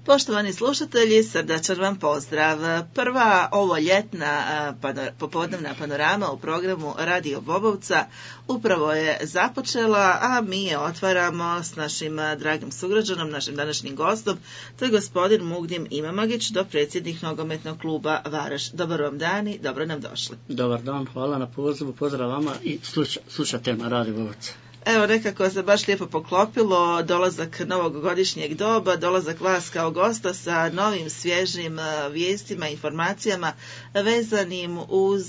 Poštovani slušatelji, srdačan vam pozdrav. Prva ovo ljetna popodnevna panorama u programu Radio Bobovca upravo je započela, a mi je otvaramo s našim dragim sugrađanom, našim današnjim gostom, to je gospodin Mugdim Imamagić, dopredsjednik nogometnog kluba Vareš. Dobar vam dan i dobro nam došli. Dobar dan, hvala na pozivu, pozdrav vama i slušate na Radio Bobovca. Evo, nekako se baš lijepo poklopilo, dolazak novogodišnjeg doba, dolazak vas kao gosta sa novim svježim vijestima, informacijama vezanim uz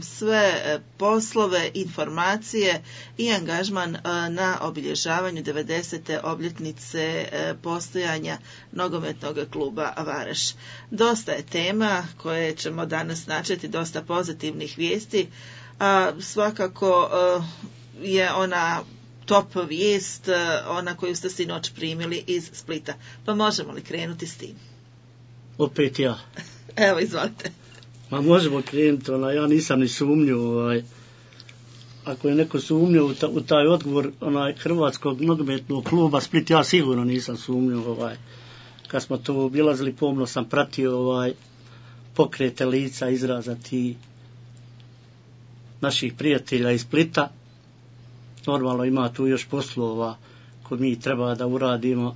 sve poslove, informacije i angažman na obilježavanju 90. obljetnice postojanja nogometnog kluba Vareš. Dosta je tema koje ćemo danas načeti, dosta pozitivnih vijesti, a svakako je ona top vijest, ona koju ste sinoć primili iz Splita. Pa možemo li krenuti s tim? Opet ja. Evo, izvolite. Ma možemo krenuti, ja nisam ni sumnjao, ako je neko sumnjao u taj odgovor Hrvatskog nogometnog kluba Split, ja sigurno nisam sumnjao, kad smo to obilazili, pomno sam pratio pokrete lica, izraza ti naših prijatelja iz Splita. Normalno ima tu još poslova koje mi treba da uradimo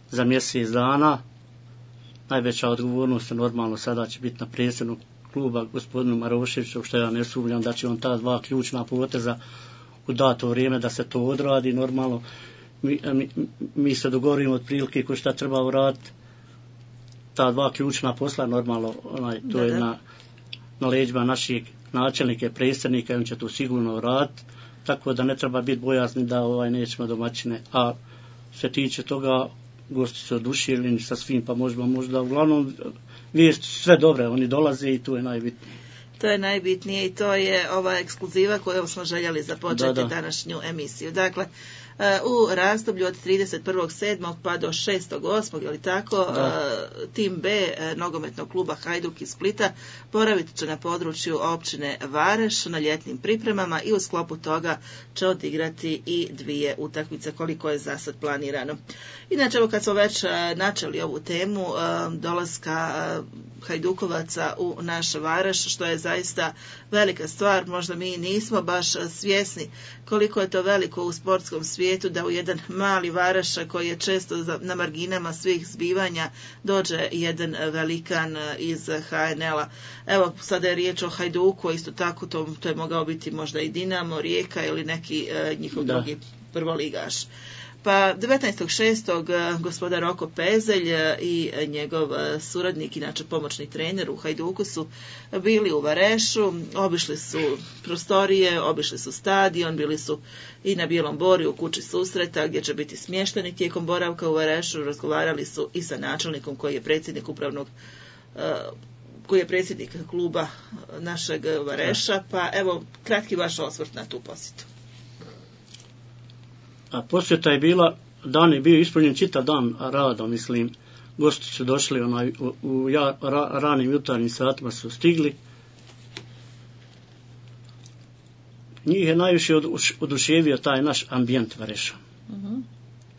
za mjesec dana. Najveća odgovornost normalno sada će biti na predsjedniku kluba gospodinu Maroševiću, što ja ne sumnjam da će on ta dva ključna poteza u dato vrijeme da se to odradi. Normalno mi se dogovorimo otprilike ko šta treba uraditi. Ta dva ključna posla normalno to je na leđima naših načelnika i predsjednika i on će to sigurno uraditi. Tako da ne treba biti bojazni da nećemo domaćine, a se tiče toga gosti su oduševljeni sa svim, pa možda uglavnom vijesti sve dobre, oni dolaze i to je najbitnije. To je najbitnije i to je ova ekskluziva koju smo željeli započeti današnju emisiju. Dakle, u razdoblju od 31.7. pa do 6.8. ili tako, tim B nogometnog kluba Hajduk iz Splita boravit će na području općine Vareš na ljetnim pripremama i u sklopu toga će odigrati i 2 utakmice koliko je za sad planirano. Inače, evo kad smo već načeli ovu temu dolaska Hajdukovaca u naš Vareš, što je zaista velika stvar, možda mi nismo baš svjesni koliko je to veliko u sportskom svijetu da u jedan mali Vareš koji je često na marginama svih zbivanja dođe jedan velikan iz HNL-a. Evo, sada je riječ o Hajduku, isto tako to je mogao biti možda i Dinamo, Rijeka ili neki njihov drugi prvoligaš. Pa 19.6. gospodar Roko Pezelj i njegov suradnik, inače pomoćni trener u Hajduku, su bili u Varešu, obišli su prostorije, obišli su stadion, bili su i na Bijelom Borju u kući susreta gdje će biti smješteni tijekom boravka u Varešu, razgovarali su i sa načelnikom koji je predsjednik koji je predsjednik kluba našeg Vareša, pa evo kratki vaš osvrt na tu posjetu. A posjeta je bila, dan je bio ispunjen čitav dan rada, mislim, gosti su došli u ranim jutarnjim satima su stigli. Njih je najviše oduševio taj naš ambijent Vareša.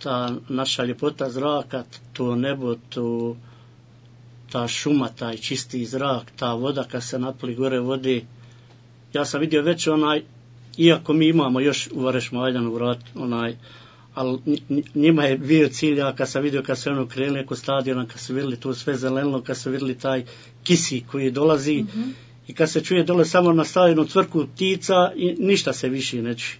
Ta naša ljepota zraka, to nebo, ta šuma, taj čisti zrak, ta voda kad se napoli gore vode. Ja sam vidio već iako mi imamo još u Vareš Maljanu vrat, ali njima je bio cilj, ja kad sam vidio kad se krenuli oko stadiona, kad su vidjeli to sve zeleno, kad su vidjeli taj kisik koji dolazi i kad se čuje dole samo na stadionu cvrku ptica i ništa se više ne čuje.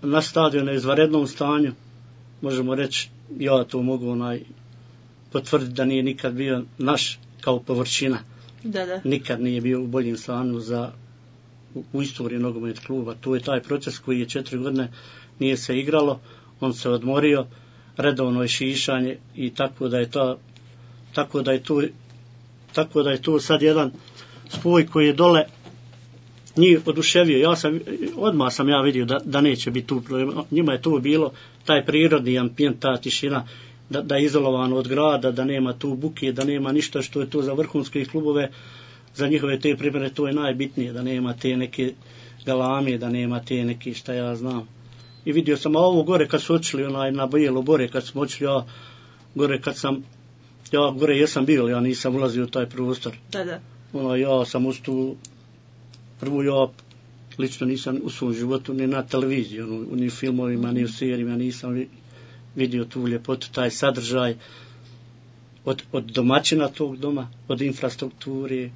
Na stadionu je u izvanrednom stanju, možemo reći, ja to mogu potvrditi da nije nikad bio naš kao površina. Nikad nije bio u boljem stanju u istoriji nogometnog kluba. To je taj proces koji je 4 godine nije se igralo, on se odmorio, redovno je šišanje i tako da je to sad jedan spoj koji je dole njih oduševio. Odmah sam vidio da neće biti tu problema. Njima je to bilo taj prirodni ambijent, ta tišina, da je izolovano od grada, da nema tu buke, da nema ništa što je to za vrhunske klubove, za njihove te pripreme, to je najbitnije, da nema te neke galame, da nema te neke šta ja znam. I vidio sam ovo gore kad su očili na Bijelo Bore, kad smo očili gore kad sam, ja gore jesam bio, ja nisam ulazio u taj prostor. Da. Ja sam ustao, prvo ja lično nisam u svom životu ni na televiziji, ni u filmovima, ni u serijima, nisam vidio tu ljepotu, taj sadržaj od domaćina tog doma, od infrastrukture.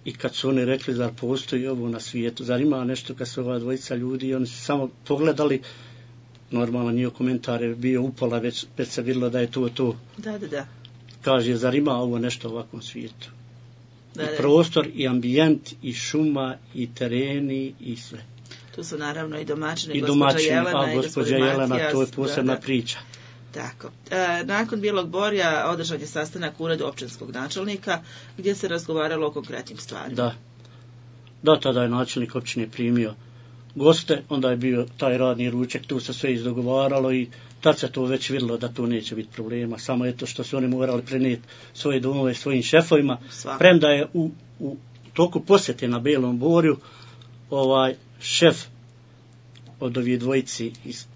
I kad su oni rekli da postoji ovo na svijetu, zar ima nešto kad su ova dvojica ljudi, oni su samo pogledali, normalno njihov komentar je bio upola, već se vidjelo da je to. Da. Kaže, zar ima ovo nešto u ovakvom svijetu? I prostor, i ambijent, i šuma, i tereni, i sve. Tu su naravno i domaćini, gospođa Jelena, to je posebna priča. Tako. Nakon Bijelog Borja održan je sastanak u uredu općinskog načelnika gdje se razgovaralo o konkretnim stvarima. Da, tada je načelnik općine primio goste, onda je bio taj radni ručak, tu se sve izdogovaralo i tad se to već vidjelo da tu neće biti problema, samo je to što su oni morali prenijeti svoje domove svojim šefovima, premda je u toku posjete na Bijelom Borju šef od ovih dvojici iz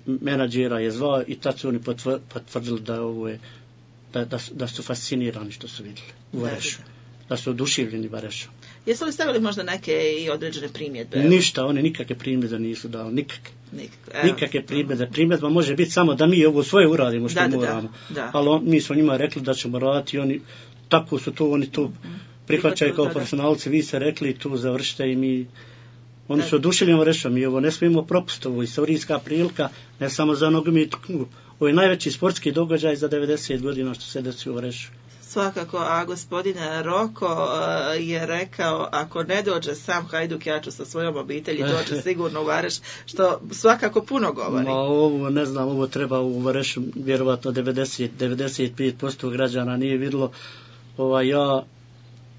menadžera je zvao i tad su oni potvrdili da ovo je da su fascinirani što su vidjeli u Varešu, da su oduševljeni Varešom. Jesu li stavili možda neke i određene primjedbe? Ništa, oni nikakve primjedbe nisu dali, nikakve primjedbe. Primjedba može biti samo da mi ovo svoje uradimo što moramo, ali mi smo njima rekli da ćemo raditi i oni, tako su to, oni to prihvaćaju kao profesionalci, vi ste rekli tu završite i mi. Oni su oduševljeni Varešom i ovo ne smijemo propustiti, ovo je istorijska prilika, ne samo za nogometnu knjigu. Ovo je najveći sportski događaj za 90 godina što se desi u Varešu. Svakako, a gospodin Roko je rekao, ako ne dođe sam Hajduk, ja ću sa svojom obitelji doći sigurno u Vareš, što svakako puno govori. Ovo, ne znam, ovo treba u Varešu, vjerovatno 95% građana nije vidjelo.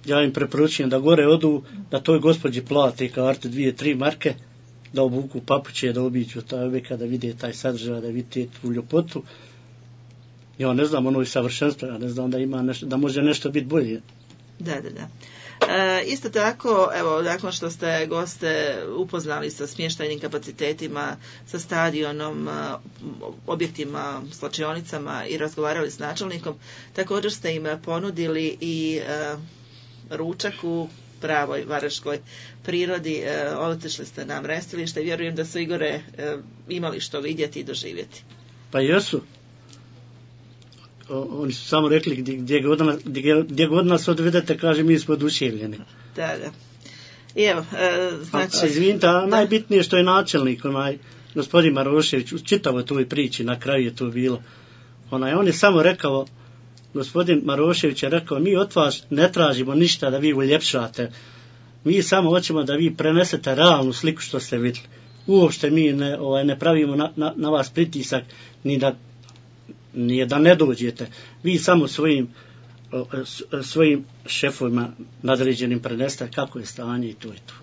Ja im preporučujem da gore odu, da toj gospođi plate karte 2-3 marke, da obuku papuće, da obiđu taj objekat, da vide taj sadržaj, da vide tu ljepotu. Ja ne znam, ono je savršenstvo, ja ne znam da ima nešto, da može nešto biti bolje. Da. Isto tako, evo, nakon što ste goste upoznali sa smještajnim kapacitetima, sa stadionom, objektima, slačionicama i razgovarali s načelnikom, također ste im ponudili i ručak u pravoj vareškoj prirodi, otišli ste na mrestilište i vjerujem da su Igore imali što vidjeti i doživjeti. Pa jesu. Oni su samo rekli gdje god nas odvedete, kaže mi smo oduševljeni. Da. I evo, znači... Izvinite, najbitnije što je načelnik, gospodin Marošević, u čitavoj toj priči, na kraju je to bilo. On je samo rekao, gospodin Marošević je rekao, mi od vas ne tražimo ništa da vi uljepšate, mi samo hoćemo da vi prenesete realnu sliku što ste vidjeli. Uopšte mi ne pravimo na vas pritisak, nije da ne dođete. Vi samo svojim šefovima nadređenim prenesete kako je stanje i to je to.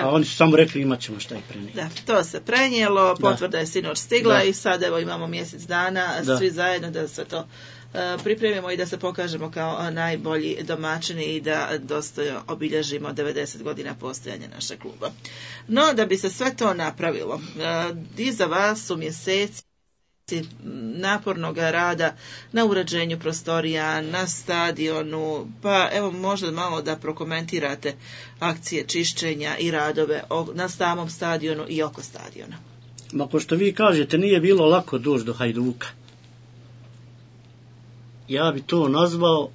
A oni su samo rekli imat ćemo šta i prenijeti. Da, to se prenijelo, potvrda je sinoć stigla i sad evo imamo mjesec dana, svi zajedno da se to pripremimo i da se pokažemo kao najbolji domaćini i da dostojno obilježimo 90 godina postojanja našeg kluba. No, da bi se sve to napravilo, iza vas su mjeseci napornog rada na uređenju prostorija, na stadionu, pa evo možda malo da prokomentirate akcije čišćenja i radove na samom stadionu i oko stadiona. Ma ko što vi kažete, nije bilo lako doći do Hajduka. Ja bi to nazvao,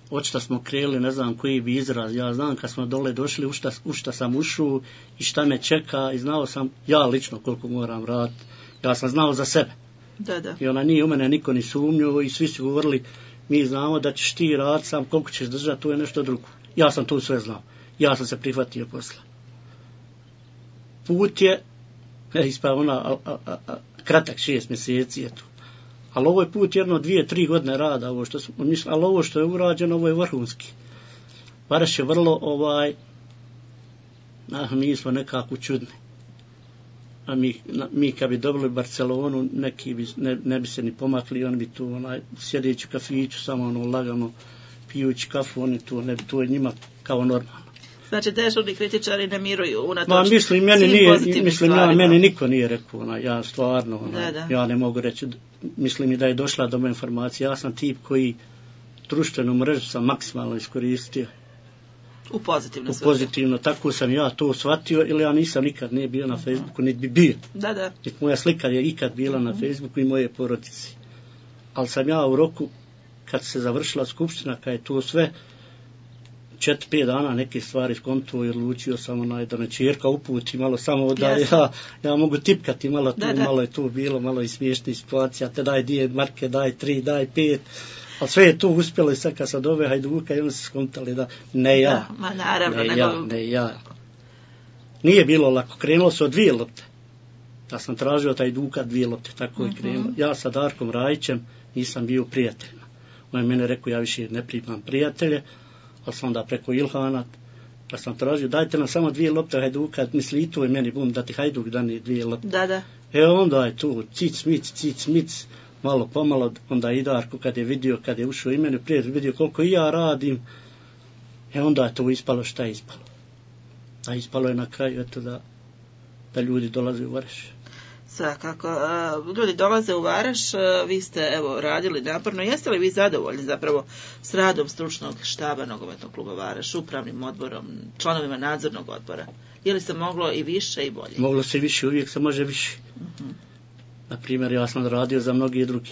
očito smo krenuli, ne znam koji bi izraz, ja znam kad smo dole došli u šta sam ušao i šta me čeka i znao sam ja lično koliko moram raditi, ja sam znao za sebe. Da. I nije u mene niko ni sumnjao i svi su govorili mi znamo da ćeš ti raditi, sam koliko ćeš držati, to je nešto drugo. Ja sam to sve znao, ja sam se prihvatio posla. Put je kratak 6 mjeseci je tu. Ali ovo je put 2-3 godine rada, ali ovo što je urađeno, ovo je vrhunski. Vareš je vrlo, mi smo nekako čudni. A mi kad bi dobili Barcelonu, neki ne bi se ni pomakli, oni bi tu sjedeći u kafiću, samo lagano pijući kafu, oni tu ne bi, to je njima kao normalno. Znači, dežurni kritičari ne miruju unatoč Ma, mislim, meni svim nije, pozitivnim mislim, stvarima. meni niko nije rekao, ja stvarno, Da. ja ne mogu reći, mislim i da je došla do moje informacije, ja sam tip koji društvenu mrežu sam maksimalno iskoristio. U pozitivno. Pozitivno, tako sam ja to shvatio, ili ja nisam nikad nije bio na Facebooku, niti bi bio. Da. Niti moja slika je ikad bila na Facebooku i moje porodice. Ali sam ja u roku, kad se završila skupština, kad je to sve, 4-5 dana neke stvari skontuo i odlučio sam da me čerka uputi malo samo da ja mogu tipkati malo tu, malo je tu bilo, malo i smiješnih situacija, te daj 2 marke, daj 3, daj 5, ali sve je to uspjelo i sad kad sam dove Hajduka i oni se skontali da ne ja, da, ma naravno, ne ja. Nije bilo lako, krenulo se od 2 lopte. Ja sam tražio taj Hajduka 2 lopte, tako je krenulo. Ja sa Darkom Rajićem nisam bio prijateljima. On je mene rekao, ja više ne primam prijatelje, ali sam onda preko Ilhana, pa sam tražio, dajte nam samo 2 lopte Hajduka, misli i to je meni bum, da ti Hajduk dani 2 lopte. Da. Onda je tu cic mic, malo pomalo, onda i Darko kad je vidio, kad je ušao i meni prijatelj, vidio koliko i ja radim, onda je to ispalo šta je ispalo. A ispalo je na kraju, eto da ljudi dolaze u Vareš. Svakako. Ljudi dolaze u Vareš, vi ste radili naporno. Jeste li vi zadovoljni zapravo s radom stručnog štaba Nogometnog kluba Vareš, upravnim odborom, članovima nadzornog odbora? Je li se moglo i više i bolje? Moglo se više, uvijek se može više. Na primjer, ja sam radio za mnogi drugi.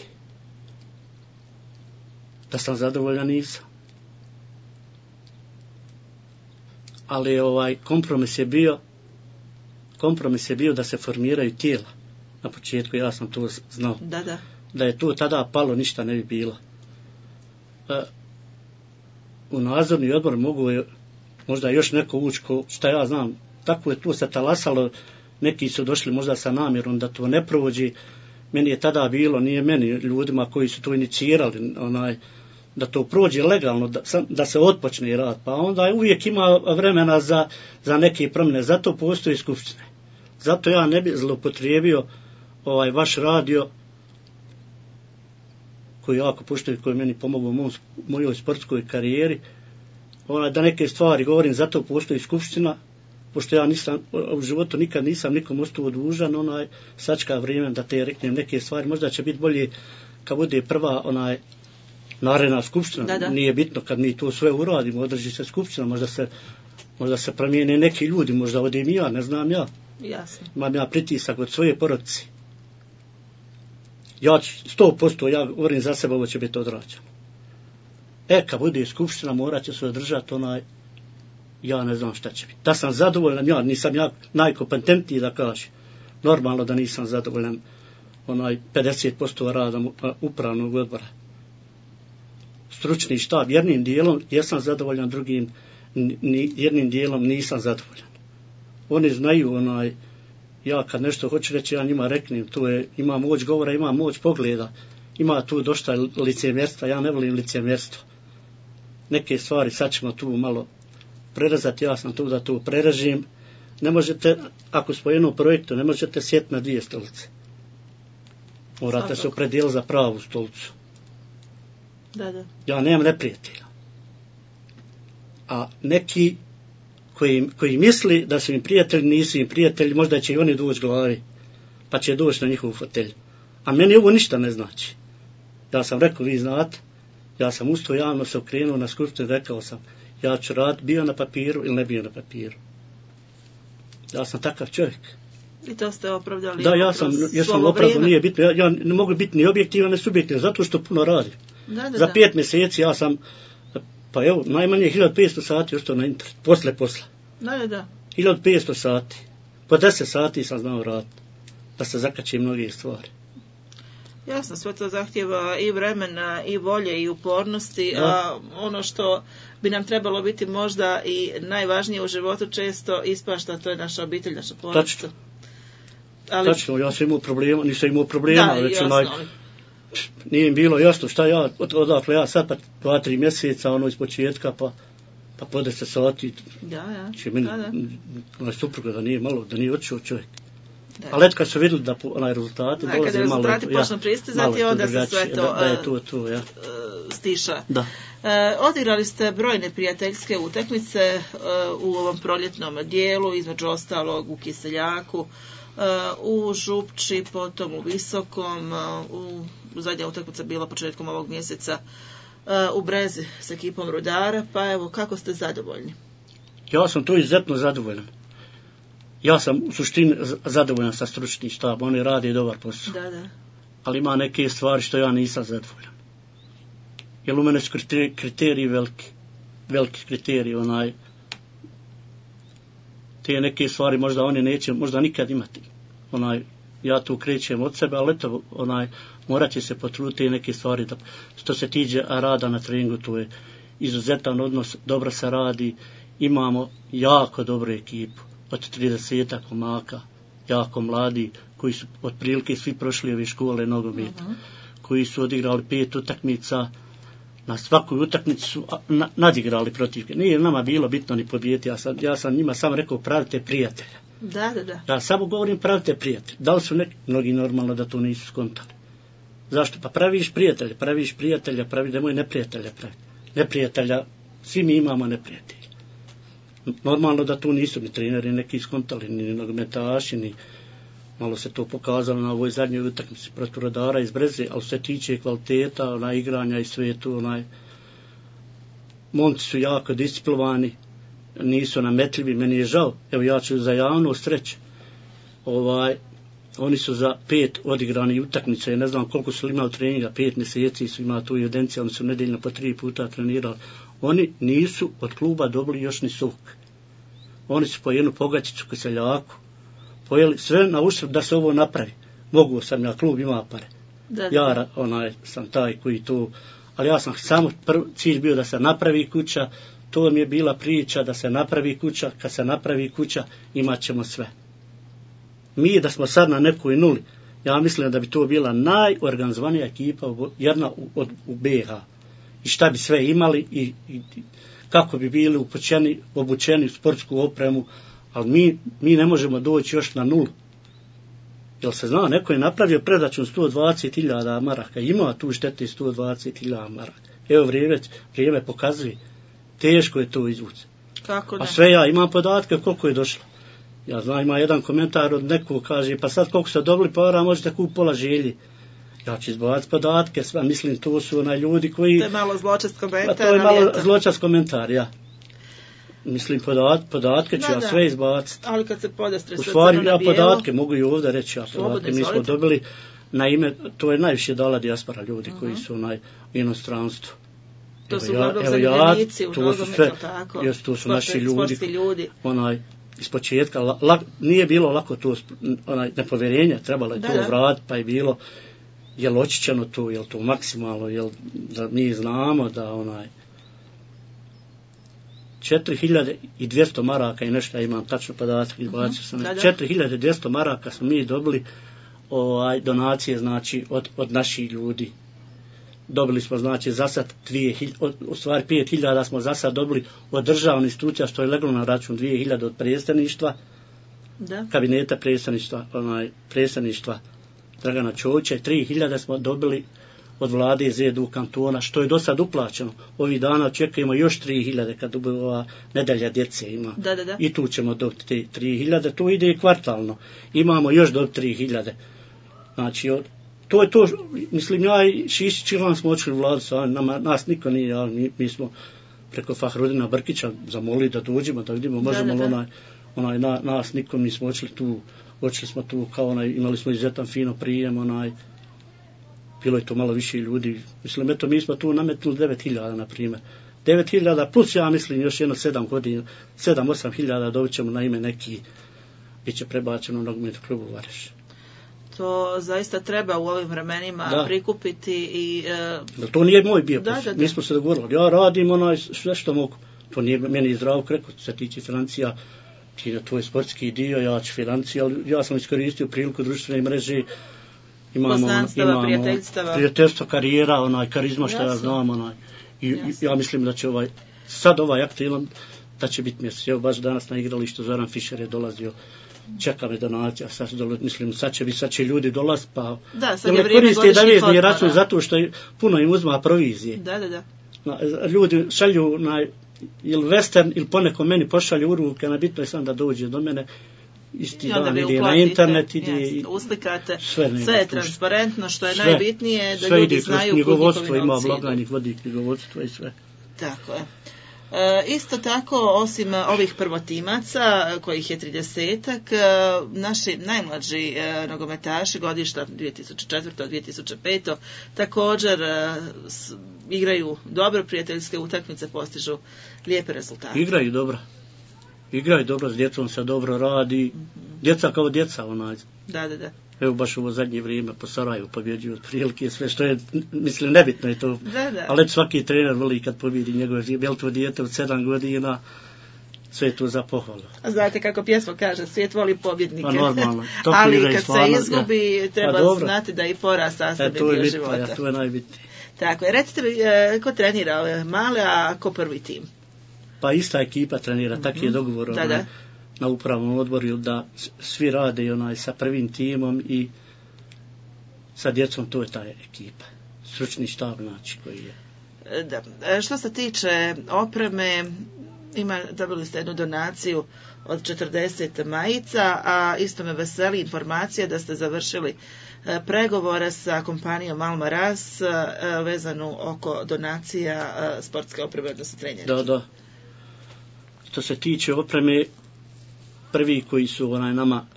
Da sam zadovoljan nisam. Ali kompromis je bio da se formiraju tijela. Na početku ja sam to znao. Da je to tada palo, ništa ne bi bilo. U nadzorni odbor mogu možda još neko ući, šta ja znam, tako je tu se talasalo, neki su došli možda sa namjerom da to ne prođe. Meni je tada bilo, nije meni, ljudima koji su to inicirali, da to prođe legalno, da se otpočne rad, pa onda uvijek ima vremena za neke promjene, zato postoji skupštine. Zato ja ne bih zloupotrijebio vaš radio, koji jako poštuju, koji meni pomogao u mojoj sportskoj karijeri, da neke stvari govorim, zato postoji skupština, pošto ja u životu nikad nisam nikom ostao dužan, sačka vrijeme da te reknem neke stvari, možda će biti bolje kad bude prva naredna skupština, nije bitno kad mi to sve uradimo, održi se skupština, možda se promijene neki ljudi, možda odim ja, ne znam ja. Jasno. Imam ja pritisak od svoje porodice. Ja 100%, ja govorim za sebe, ovo će biti odrađeno. Kad bude skupština, morat će se održati ja ne znam šta će biti. Da sam zadovoljan, nisam ja najkompetentniji da kažem. Normalno da nisam zadovoljan 50% rada upravnog odbora. Stručni štab, jednim dijelom jesam zadovoljan, drugim jednim dijelom nisam zadovoljan. Oni znaju, ja kad nešto hoću reći, ja njima reknem, ima moć govora, ima moć pogleda, ima tu dosta licemjerstva, ja ne volim licemjerstvo. Neke stvari sad ćemo tu malo prerezati, ja sam tu da to prerežim. Ne možete, ako smo jednom projektu, ne možete sjeti na 2 stolice. Morate se opredijeliti za pravu stolicu. Da. Ja nemam neprijatelja. A neki koji misli da su im prijatelji, nisu im prijatelji, možda će i oni doći glavi, pa će doći na njihovu fotelju. A meni ovo ništa ne znači. Ja sam rekao, vi znate, ja sam ustao javno se okrenuo na skupštinu i rekao sam, ja ću raditi, bio na papiru ili ne bio na papiru. Ja sam takav čovjek. I to ste opravdali? Da, ja sam opravdao, nije bitno, ja ne mogu biti ni objektivan, ni subjektivan, zato što puno radim. Za 5 mjeseci ja sam, pa evo, najmanje 1500 sati ostao na internet, posla. Da. 1500 sati. Po 10 sati sam znao raditi, da se zakače mnoge stvari. Jasno, sve to zahtjeva i vremena, i volje, i upornosti, a ono što bi nam trebalo biti možda i najvažnije u životu često ispašta, to je naša obitelj, naša porodica. Tačno, ja sam imao problema, nisam imao problema, već nije im bilo jasno šta ja, odakle ja sad pa 2-3 mjeseca, iz početka, pa po 10 sati. Će meni supruga da nije malo, da nije otišao čovjek. Ali kad su vidjeli da rezultati dolaze malo... Kada rezultati počnu pristizati, onda se sve to stiša. Da. Odigrali ste brojne prijateljske utakmice u ovom proljetnom dijelu, između ostalog u Kiseljaku, u Župči, potom u Visokom, u zadnja utakmica bila početkom ovog mjeseca u Brezi s ekipom Rudara, pa evo, kako ste zadovoljni? Ja sam tu izuzetno zadovoljan. Ja sam u suštini zadovoljan sa stručnim štabom, oni rade dobar posao. Da. Ali ima neke stvari što ja nisam zadovoljan. Jer u mene su kriteriji veliki kriteriji, te neke stvari možda oni neće, možda nikad imati. Ja tu krećem od sebe, ali eto, morat će se potruditi neke stvari. Da, što se tiče rada na treningu, to je izuzetan odnos, dobro se radi, imamo jako dobru ekipu, od 30 komaka, jako mladi, koji su otprilike svi prošli ove škole nogometa, koji su odigrali 5 utakmica, na svakoj utakmici su nadigrali protivke. Nije nama bilo bitno ni pobijeti, ja sam njima samo rekao pravite prijatelja. Da. Ja samo govorim pravite prijatelja. Da li su mnogi normalno da to nisu skontali? Zašto? Pa praviš prijatelja, nemoj neprijatelja praviti. Neprijatelja, svi mi imamo neprijatelja. Normalno da tu nisu ni treneri neki skontali, ni nogometaši, ni malo se to pokazalo na ovoj zadnjoj utakmici protiv Rudara iz Breze, ali se tiče kvaliteta, igranja i sve tu, momci su jako disciplinovani, nisu nametljivi, meni je žao, evo ja ću za javnost reći, oni su za 5 odigrani utakmice, ne znam koliko su imali treninga, 5 mjeseci su imali tu evidenciju, oni su nedeljno po 3 puta trenirali, oni nisu od kluba dobili još ni sok. Oni su po jednu pogačicu Kiseljaku, pojeli sve na uštrb da se ovo napravi. Mogu sam, ja klub ima pare. Ja sam taj koji tu, ali ja sam samo cilj bio da se napravi kuća, to mi je bila priča da se napravi kuća, kad se napravi kuća imat ćemo sve. Mi da smo sad na nekoj nuli, ja mislim da bi to bila najorganizovanija ekipa, jedna u BiH. I šta bi sve imali i kako bi bili obučeni u sportsku opremu, ali mi ne možemo doći još na nulu. Jel se zna, neko je napravio predračun 120.000 maraka, ima tu štete 120.000 maraka. Evo vrijeme pokazuje, teško je to izvući. Kako ne? A sve ja imam podatke koliko je došlo. Ja znam, ima jedan komentar od nekog, kaže, pa sad koliko ste dobili para, možete kupiti pola želji. Ja ću izbavati podatke, sve, mislim, to su ljudi koji... To je malo zločast komentar. To je malo zločast komentar, ja. Mislim, podatke ću ja sve izbaciti. Ali kad se podastre u stvari, ja podatke mogu i ovdje reći. Mi smo dobili, na ime, to je najviše dala dijaspora ljudi koji su u inostranstvu. To su uglavnom zanimljenici u nogometu, tako? To su naši ljudi. Iz početka, nije bilo lako to, nepovjerenje, trebalo je to vratiti, pa je bilo, jel očićeno to, jel to maksimalno, jel da mi znamo da 4.200 maraka i nešto, ja imam tačno podatak, 4.200 maraka smo mi dobili donacije, znači, od naših ljudi. Dobili smo, znači, za sad 5.000 smo za sad dobili od državnih institucija, što je leglo na račun, 2.000 od predstavništva, kabineta predstavništva Dragana Čovića, 3.000 smo dobili od vlade ZDU kantona, što je do sad uplaćeno. Ovih dana očekujemo još 3.000 kad ova nedelja djece ima. I tu ćemo dobiti te 3.000, to ide i kvartalno. Imamo još dobiti 3.000. Znači, to je to, mislim, ja i Šišić Ivan smo očeli u vladu, nas niko nije, ali mi smo preko Fahrudina Brkića zamolili da dođemo, da vidimo, možemo nas niko, mi smo očeli smo tu kao imali smo izuzetan fino prijem, bilo je to malo više ljudi, mislim, eto, mi smo tu nametnuli 9.000, na primjer. 9.000 plus, ja mislim, još jedno 7-8.000 dobit ćemo na ime neki, bit će prebačeno u nogometnu klubu Vareš. To zaista treba u ovim vremenima prikupiti i... To nije moj bio posao, mi smo se dogovorili. Ja radim sve što mogu. To nije meni Zdravko rekao, se tiče financija, to je sportski dio, ja ću financije, ali ja sam iskoristio priliku društvene mreže, imamo prijateljstva, karijera, karizma što ja znam, i ja mislim da će sad aktivan, da će biti mjesec. Evo baš danas na igralištu Zoran Fišer je dolazio, čeka me donacija, mislim, sad će ljudi dolaziti, pa sad je vrijeme godišnjih račun zato što puno im uzma provizije. ljudi šalju ili western ili poneko meni pošalju u ruke, bitno je sam da dođe do mene isti dan, ide na internet, uslikate, sve je transparentno, što je najbitnije, da sve ljudi znaju kud njihovi novci idu. Ima blagajnik, vodi knjigovodstvo i sve. Tako je. Isto tako, osim ovih prvotimaca, kojih je 30-ak, naši najmlađi nogometaši godišta 2004-2005 također igraju dobro, prijateljske utakmice, postižu lijepe rezultate. Igraju dobro, s djecom se dobro radi, djeca kao djeca onaj. Da. Evo baš ovo zadnje vrijeme po Sarajevu pobjeđuju otprilike sve što je, mislim, nebitno je to. Da. Ali svaki trener voli kad pobjedi njegove to dijete od 7 godina, sve je to za pohvalu. A znate kako pjesma kaže, svijet voli pobjednike. Pa normalno. Ali kad se izgubi, treba znati da i poraz sastavni dio života. To je najbitnije. Tako je. Recite mi, ko trenira ove male, a ko prvi tim? Pa ista ekipa trenira, tak je dogovor na upravnom odboru da svi rade sa prvim timom i sa djecom, to je ta ekipa. Stručni štab, znači, koji je. Da. Što se tiče opreme, dobili ste jednu donaciju od 40 majica, a isto me veseli informacija da ste završili pregovore sa kompanijom Alma Ras vezanu oko donacija sportske opreme, odnosno trenjačke. Da. Što se tiče opreme, prvi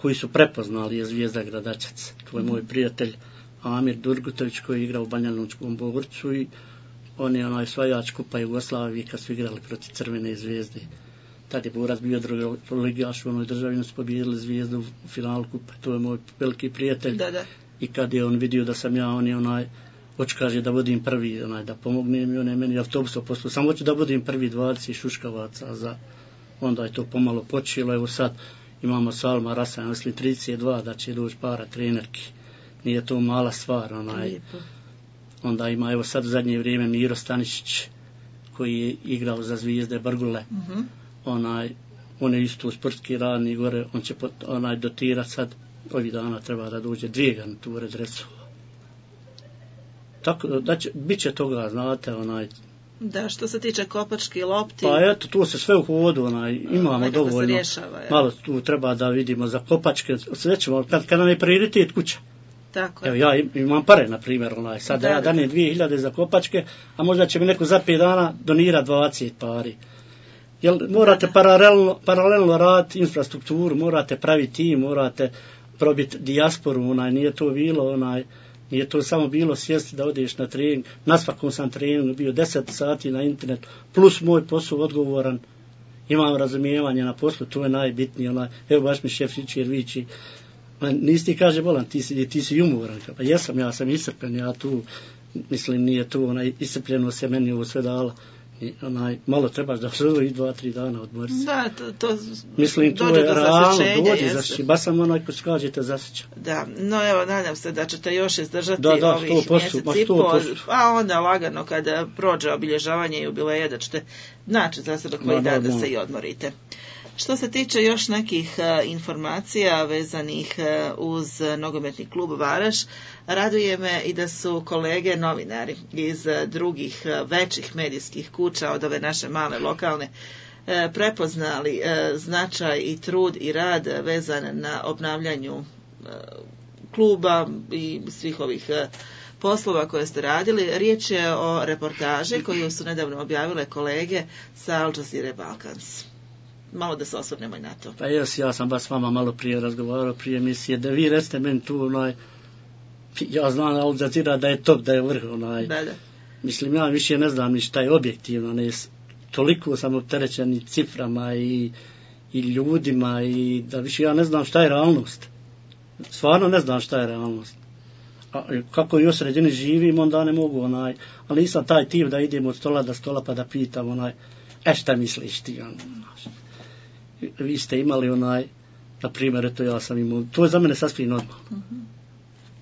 koji su prepoznali je Zvijezda Gradačac. To je moj prijatelj Amir Durgutović koji je igrao u Banja Lučkom Bogorcu i on je osvajač Kupa Jugoslavije kad su igrali protiv Crvene Zvijezde. Tad je Borac bio drugoligaš u onoj državi, su pobijedili Zvijezdu u finalu Kupa. To je moj veliki prijatelj. Da. I kad je on vidio da sam ja, on je kaže da budem prvi, da pomognem i on je meni autobusom poslao. Samo hoću da budem prvi 20 šuškavaca onda je to pomalo počelo. Evo sad imamo sa Alma Rasa, mislim 32, da će doći para trenerki. Nije to mala stvar. Onda ima, evo sad u zadnje vrijeme Miro Stanišić koji je igrao za Zvijezde Brgule. On je isto sportski radni gore, on će dotirati sad, ovih dana treba da dođe 2 garniture dresova. Tako da bit će toga, znate, Da, što se tiče kopački, lopti. Pa eto, tu se sve u hodu, imamo dovoljno. Rješava, malo tu treba da vidimo za kopačke, sve ćemo, kad nam je prioritet kuća. Tako. Evo, ja imam pare, na primjer, sad ja danem 2000 za kopačke, a možda će mi neko za 5 dana donirati 20 pari. Jer morate paralelno raditi infrastrukturu, morate praviti tim, morate probiti dijasporu, nije to bilo, nije to samo bilo sjesti da odeš na trening. Na svakom sam treningu bio 10 sati na internetu, plus moj posao odgovoran. Imam razumijevanje na poslu, to je najbitnije. Evo baš mi šef Ričer viči, nisi ti kaže bolan, ti si umoran. Pa jesam, ja sam iscrpen, ja tu, mislim, nije tu, iscrpljeno se meni ovo sve dala. Malo trebaš da prvo i 2-3 dana odmori se. Da, to mislim, to je realno, dođe zasjeća. Baš sam ko skađete zasjeća. Da, no evo, nadam se da ćete još izdržati ovih mjesec i pol, a onda lagano kada prođe obilježavanje jubileja da ćete naći za sebe koji dan da se i odmorite. Što se tiče još nekih informacija vezanih uz nogometni klub Varaš, raduje me i da su kolege novinari iz drugih većih medijskih kuća od ove naše male lokalne prepoznali značaj i trud i rad vezan na obnavljanju kluba i svih ovih poslova koje ste radili. Riječ je o reportaži koju su nedavno objavile kolege sa Al Jazeera Balkans. Malo da se osvrnemo i na to. Pa ja sam baš s vama malo prije razgovarao prije emisije, da vi recite meni tu, ja znam Al Jazeera da je top, da je vrh, Da. Mislim, ja više ne znam ni šta je objektivno, toliko sam opterećen i ciframa i ljudima i da više ja ne znam šta je realnost. Stvarno ne znam šta je realnost. A kako i u sredini živim, onda ne mogu, ali nisam taj tip da idem od stola do stola pa da pitam, šta misliš ti, vi ste imali na primjer, eto ja sam imao, to je za mene sasvim normalno.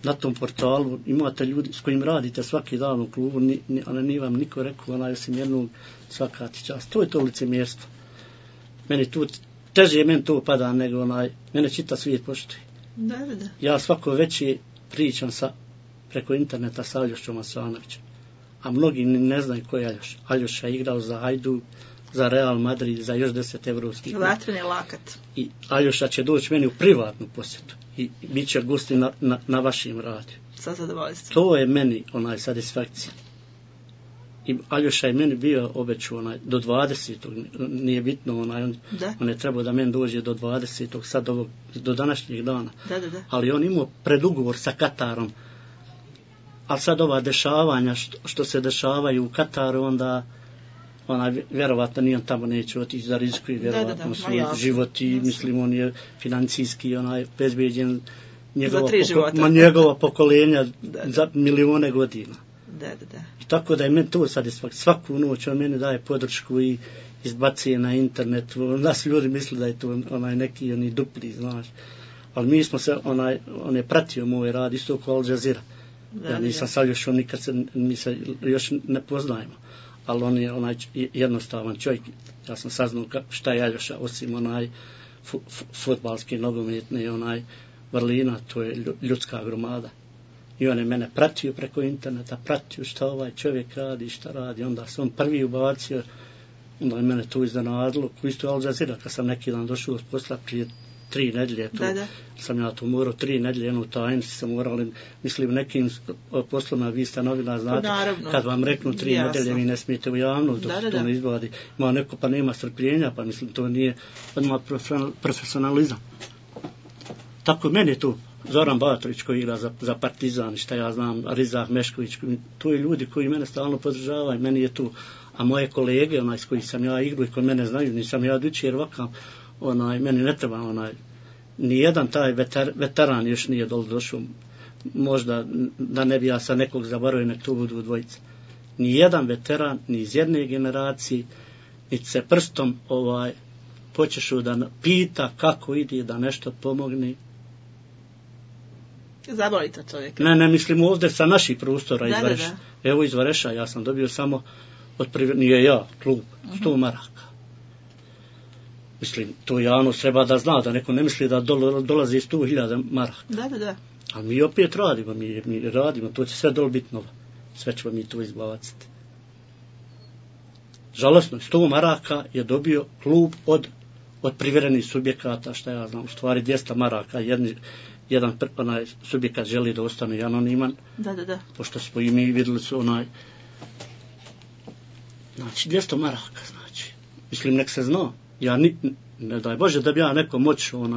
Na tom portalu imate ljudi s kojim radite svaki dan u klubu, nije vam niko rekao, osim jednog svaka ti čast. To je to licemjerstvo. Meni tu, teže meni to pada nego mene čita svijet poštuje. Da. Ja svako veće pričam preko interneta sa Aljošćom Asanovićem. a mnogi ne znaju ko je Aljoša. Aljoša je igrao za Hajduk, za Real Madrid, za još 10 evropskih. Vatreni lakat. I Aljoša će doći meni u privatnu posjetu i bit će gosti na vašim radiju. Sa zadovoljstvom. To je meni satisfakcija. I Aljoša je meni bio obećao do 20. Nije bitno, on je trebao da meni dođe do 20. sad do današnjeg dana. Da. Ali on imao predugovor sa Katarom. Ali sad ova dešavanja što se dešavaju u Kataru, onda vjerovatno nijem tamo neće otići za riziku i vjerovatno svoj život i mislim on je financijski bezbeđen njegova pokolenja za milione godina. Da. I tako da je meni to satisfakcija. Svaku noć on meni daje podršku i izbacije na internet. Nas ljudi misle da je to neki dupli, znaš. Ali mi smo se, on je pratio moj rad isto kao Al Jazeera. Ja nisam sa Aljošom, nikad mi se još ne poznajemo. Ali on je jednostavan čovjek. Ja sam saznao šta je Aljoša, osim fudbalski, nogometni, vrlina, to je ljudska gromada. I on je mene pratio preko interneta, pratio šta ovaj čovjek radi, šta radi. Onda se on prvi ubacio, onda je mene to iznenadilo, ko isto Al Jazeera, kad sam neki dan došao s posla prije 3 nedjelje, sam ja to morao 3 nedjelje, jednu tajnici sam morali, mislim, nekim poslovima, vi ste novina, znate, kad vam reknu 3 nedjelje, vi ne smijete u javnost, dok se to ne izvadi. Ima neko pa nema strpljenja, pa mislim, to nije odmah profesionalizam. Tako meni je tu Zoran Batović koji igra za Partizan, šta ja znam, Rizah Mešković, to je ljudi koji mene stalno podržavaju, meni je tu, a moje kolege, s kojih sam ja igrao i koji mene znaju, nisam ja dući jer ovakav, meni ne treba, nijedan taj veteran još nije došao, možda da ne bi ja sa nekog zaboravio, nek to budu dvojice. Nijedan veteran, ni iz jedne generacije, niti se prstom počešu da pita kako ide, da nešto pomogne. Zavolite čovjeka. Ne, mislim ovdje sa naših prostora iz Vareša. Evo iz Vareša, ja sam dobio samo nije ja, klub, 100 maraka. Mislim, to javnost treba da zna, da neko ne misli da dolazi 100.000 maraka. Da. Ali mi opet radimo, mi radimo, to će sve biti novo. Sve ćemo mi to izbaciti. Žalosno, 100 maraka je dobio klub od privremenih subjekata, šta ja znam, u stvari 200 maraka, jedan subjekat želi da ostane anoniman. Da. Pošto smo i mi vidjeli su znači 200 maraka, znači. Mislim, nek se zna. Ja ne daj Bože da bi ja neko moću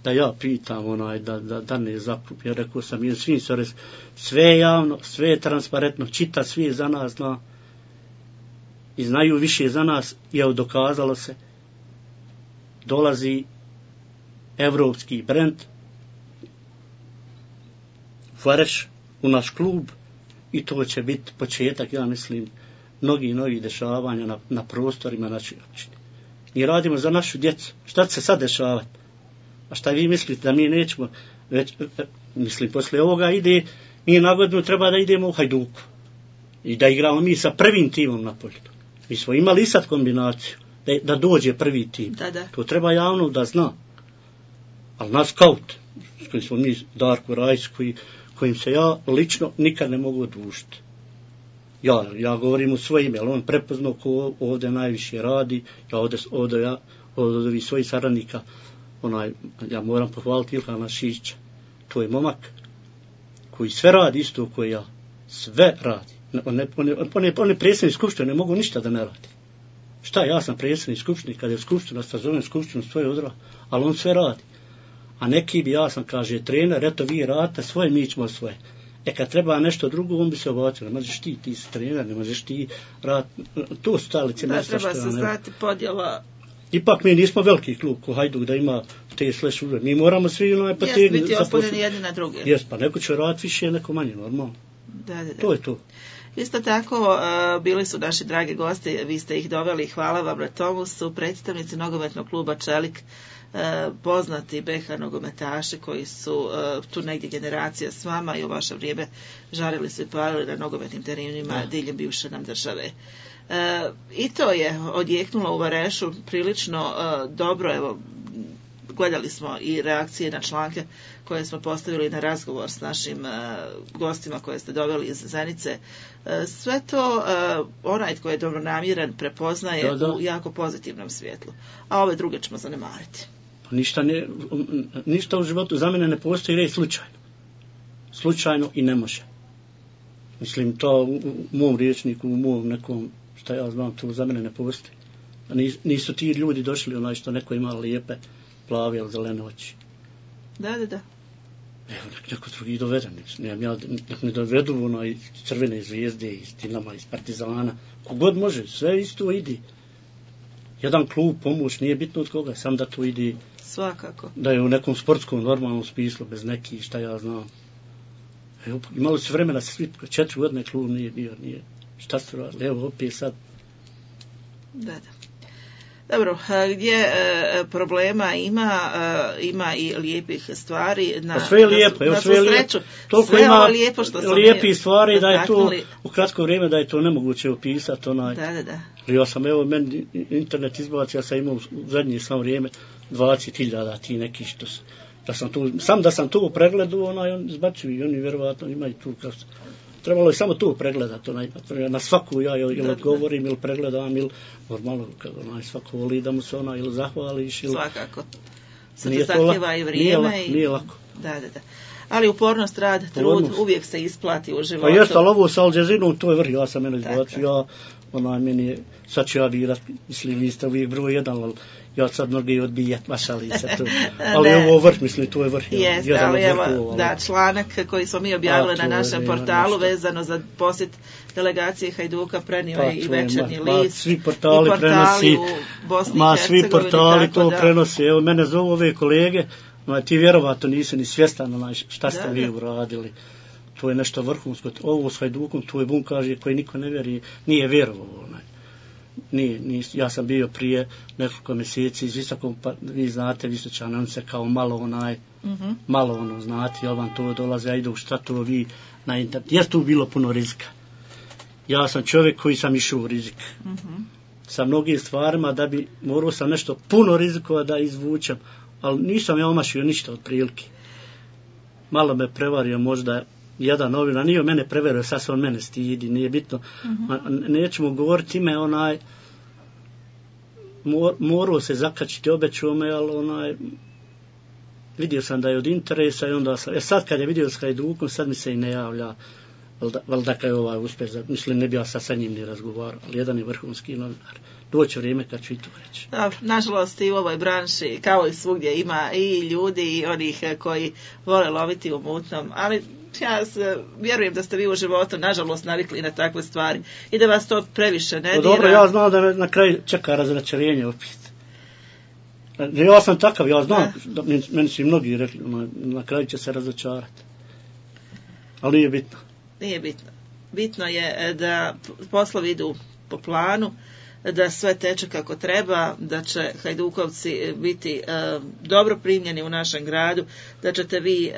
da ja pitam da ne zakup. Ja rekao sam i svim sve je javno, sve je transparentno, čita svi za nas zna i znaju više za nas, je dokazalo se, dolazi evropski brend Vareš u naš klub i to će biti početak, ja mislim, mnogi dešavanja na prostorima naših općine. Mi radimo za našu djecu. Šta će se sad dešavati? A šta vi mislite da mi nećemo? Mislim, poslije ovoga mi na godinu treba da idemo u Hajduku i da igramo mi sa prvim timom na polju. Mi smo imali i sad kombinaciju da dođe prvi tim. Da. To treba javno da zna. Ali naš skaut, s kojim smo mi, Darko Rajs, kojim se ja lično nikad ne mogu odužiti. Ja govorim u svoje ime, ali on prepoznao ko ovdje najviše radi, ja od ovih svojih saradnika, ja moram pohvaliti Ilhana Šića. To je momak koji sve radi isto koji ja. Sve radi. On je predsjednik skupštine, ne mogu ništa da ne radi. Šta, ja sam predsjednik skupštine, kad je skupština, sazovem skupštinu svoje odra, ali on sve radi. A neki bi, ja sam, kaže, trener, eto vi radite svoje, mi ćemo svoje. Kad treba nešto drugo, on bi se obacio. Ne možeš ti si trener, ne možeš ti raditi. To su stalice mjesta što ja ne... Treba se znati podjela... Ipak mi nismo veliki klub ko Hajduk da ima te slash uve. Mi moramo svi potegnuti... Jes biti ospunjeni jedni na druge. Jes, pa neko će raditi više, neko manje, normalno. Da. To je to. Isto tako, bili su naši dragi gosti, vi ste ih doveli, hvala vam na tomu, su predstavnici nogometnog kluba Čelik, poznati BH nogometaši koji su tu negdje generacija s vama i u vaše vrijeme žarili su i palili na nogometnim terenima diljem bivše nam države. I to je odjeknulo u Varešu prilično dobro, evo, gledali smo i reakcije na članke koje smo postavili na razgovor s našim gostima koje ste doveli iz Zenice. Sve to onaj tko je dobronamjeran prepoznaje u jako pozitivnom svjetlu, a ove druge ćemo zanemariti. Ništa u životu za mene ne postoji reći slučajno i ne može. Mislim, to u mom riječniku, u mom nekom, šta ja znam, to za mene ne postoji. Nisu ti ljudi došli što neko ima lijepe, plave ili zelene oči. Da. Evo, neko drugi dovede. Nek ne dovedu Crvene zvijezde, iz Dinama, iz Partizana. Kogod može, sve isto ide. Jedan klub, pomoć, nije bitno od koga, sam da to ide. Svakako. Da je u nekom sportskom, normalnom smislu, bez nekih, šta ja znam. Evo, imali su vremena, 4 godine klub nije bio, šta su radili, evo opet sad. Da. Dobro, gdje problema ima i lijepih stvari. Sve je lijepo, sve je lijepo. Toliko ima lijepo lijepih stvari da je to u kratko vrijeme da je to nemoguće opisati. Da. Ja sam, evo, meni internet izbacio, ja sam imao u zadnje samo vrijeme 20.000 ti neki što su. Da sam to pregledao, on izbačuju i oni vjerovatno imaju tu trebalo je samo to pregledati, na svaku ja ili odgovorim ili pregledam ili normalno svako voli da mu se ili zahvališ ili... Svakako. Se to zahtjeva i vrijeme. Nije lako. Da. Ali upornost, rad, trud uvijek se isplati u životu. Pa jeste, ali ovo sa Al Jazeerom, to je vrh, ja sam mene izbacio, meni je, sad ću ja birat, mislim, vi ste uvijek broj jedan, ali ja sad mnogi odbijat, mašali se tu. Ali ovo vrh, mislim, to je vrh. Jeste, ali evo, članak koji smo mi objavili na našem portalu vezano za posjet delegacije Hajduka prenio je i Večernji list. Svi portali prenosi, u Bosni i Hercegovini. Svi portali to prenosi. Evo, mene zovu ove kolege, ti vjerovatno nisi ni svjestan šta ste vi uradili. To je nešto vrhunsko. Ovo s Hajdukom, to je bum kaže koji niko ne vjeri, nije vjerovao. Ja sam bio prije nekoliko mjeseci iz Visokom, pa vi znate Visočane, on se kao malo znate, jel vam to dolaze, ja idu šta to vi na internet. Jest tu bilo puno rizika. Ja sam čovjek koji sam išao u rizik. Sa mnogim stvarima da bi morao sam nešto puno rizikova da izvučem, ali nisam ja omašio ništa od prilike. Malo me prevario možda jedan novina, nije mene preverio, sad se on mene stidi, nije bitno. Nećemo govoriti ime, morao se zakačiti, obećao me, ali vidio sam da je od interesa i onda sam, sad kad je vidio s Hajdukom, sad mi se i ne javlja, valjda kad je uspjeh, mislim ne bi ja sad sa njim ni razgovarao, ali jedan je vrhunski novinar. Doće vrijeme kad ću i to reći. Nažalost i u ovoj branši, kao i svugdje, ima i ljudi i onih koji vole loviti u mutnom, ali ja vjerujem da ste vi u životu nažalost navikli na takve stvari i da vas to previše ne dira. Dobro, ja znam da me na kraju čeka razračarenje opet. Ja sam takav, ja znam, meni su i mnogi rekli, na kraju će se razočarati. Ali nije bitno. Nije bitno. Bitno je da poslovi idu po planu, da sve teče kako treba, da će Hajdukovci biti dobro primljeni u našem gradu, da ćete vi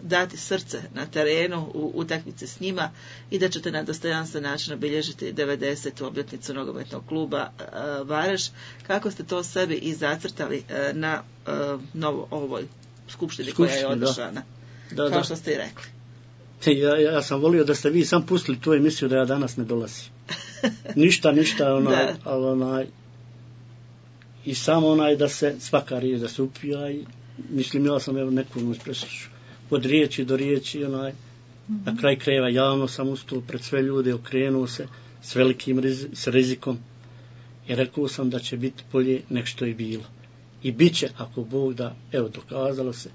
dati srce na terenu u utakmici s njima i da ćete na dostojanstven način obilježiti 90. obljetnicu nogometnog kluba Vareš. Kako ste to sebi i zacrtali na ovoj skupštini koja je održana? Kao što ste i rekli. Ja sam volio da ste vi sam pustili tu emisiju da ja danas ne dolazim. Ništa, ali i samo da se svaka riječ da se upija i mislim ja sam neku noć preslušao. Od riječi do riječi, na kraj krajeva javno sam ustao pred sve ljude, okrenuo se s velikim rizikom i rekao sam da će biti bolje nek što je bilo. I bit će, ako Bog da, evo dokazalo se.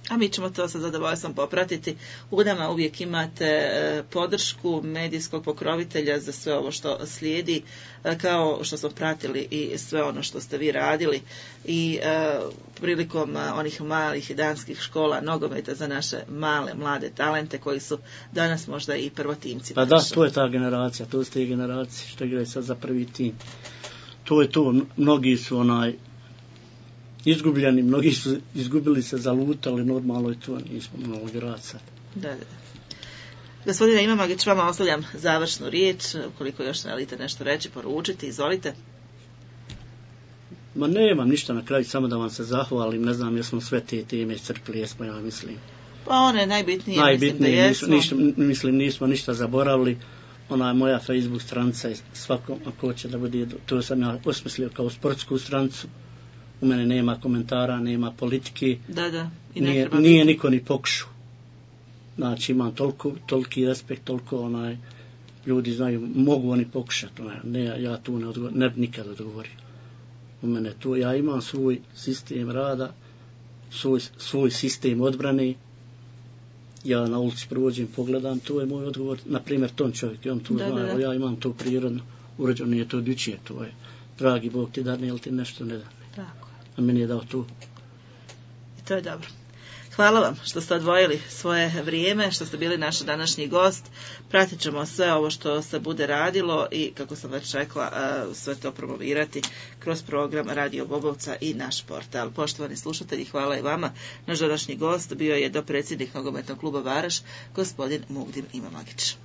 A mi ćemo to sa zadovoljstvom popratiti. U nama uvijek imate podršku medijskog pokrovitelja za sve ovo što slijedi, kao što smo pratili i sve ono što ste vi radili i prilikom onih malih danskih škola nogometa za naše male, mlade talente koji su danas možda i prvotimci. Pa da, to je ta generacija, to su te generacije što igraju sad za prvi tim. To je to, mnogi su izgubljeni, mnogi su izgubili se, zalutali, normalno je to, nismo mnogo igraca. Da. Gospodine Imamagić, vama ostavljam završnu riječ, ukoliko još želite nešto reći, poručiti, izvolite. Ma nemam ništa na kraju, samo da vam se zahvalim, ne znam jesmo sve te teme iscrpili, jesmo, ja mislim. Pa one je najbitnije, mislim da jesmo. Nismo ništa zaboravili. Ona moja Facebook stranica je svakom ako hoće da bude, to sam ja osmislio kao sportsku stranicu. U mene nema komentara, nema politike. Da. I nije niko ni pokušao. Znači imam toliki respekt, toliko ljudi znaju, mogu oni pokušati. Ja tu ne bi nikad odgovorio. U mene tu, ja imam svoj sistem rada, svoj sistem odbrane. Ja na ulici prođem, pogledam, to je moj odgovor. Naprimjer, ton čovjek, on tu zna, ja imam to prirodno uređeno, nije to odličije, to je dragi Bog ti dadne, ili ti nešto ne da. Tako. A meni je dao tu. I to je dobro. Hvala vam što ste odvojili svoje vrijeme, što ste bili naš današnji gost. Pratit ćemo sve ovo što se bude radilo i, kako sam već rekla, sve to promovirati kroz program Radio Bobovca i naš portal. Poštovani slušatelji, hvala i vama. Naš današnji gost bio je dopredsjednik Nogometnog kluba Varaš, gospodin Mugdin Imamagić.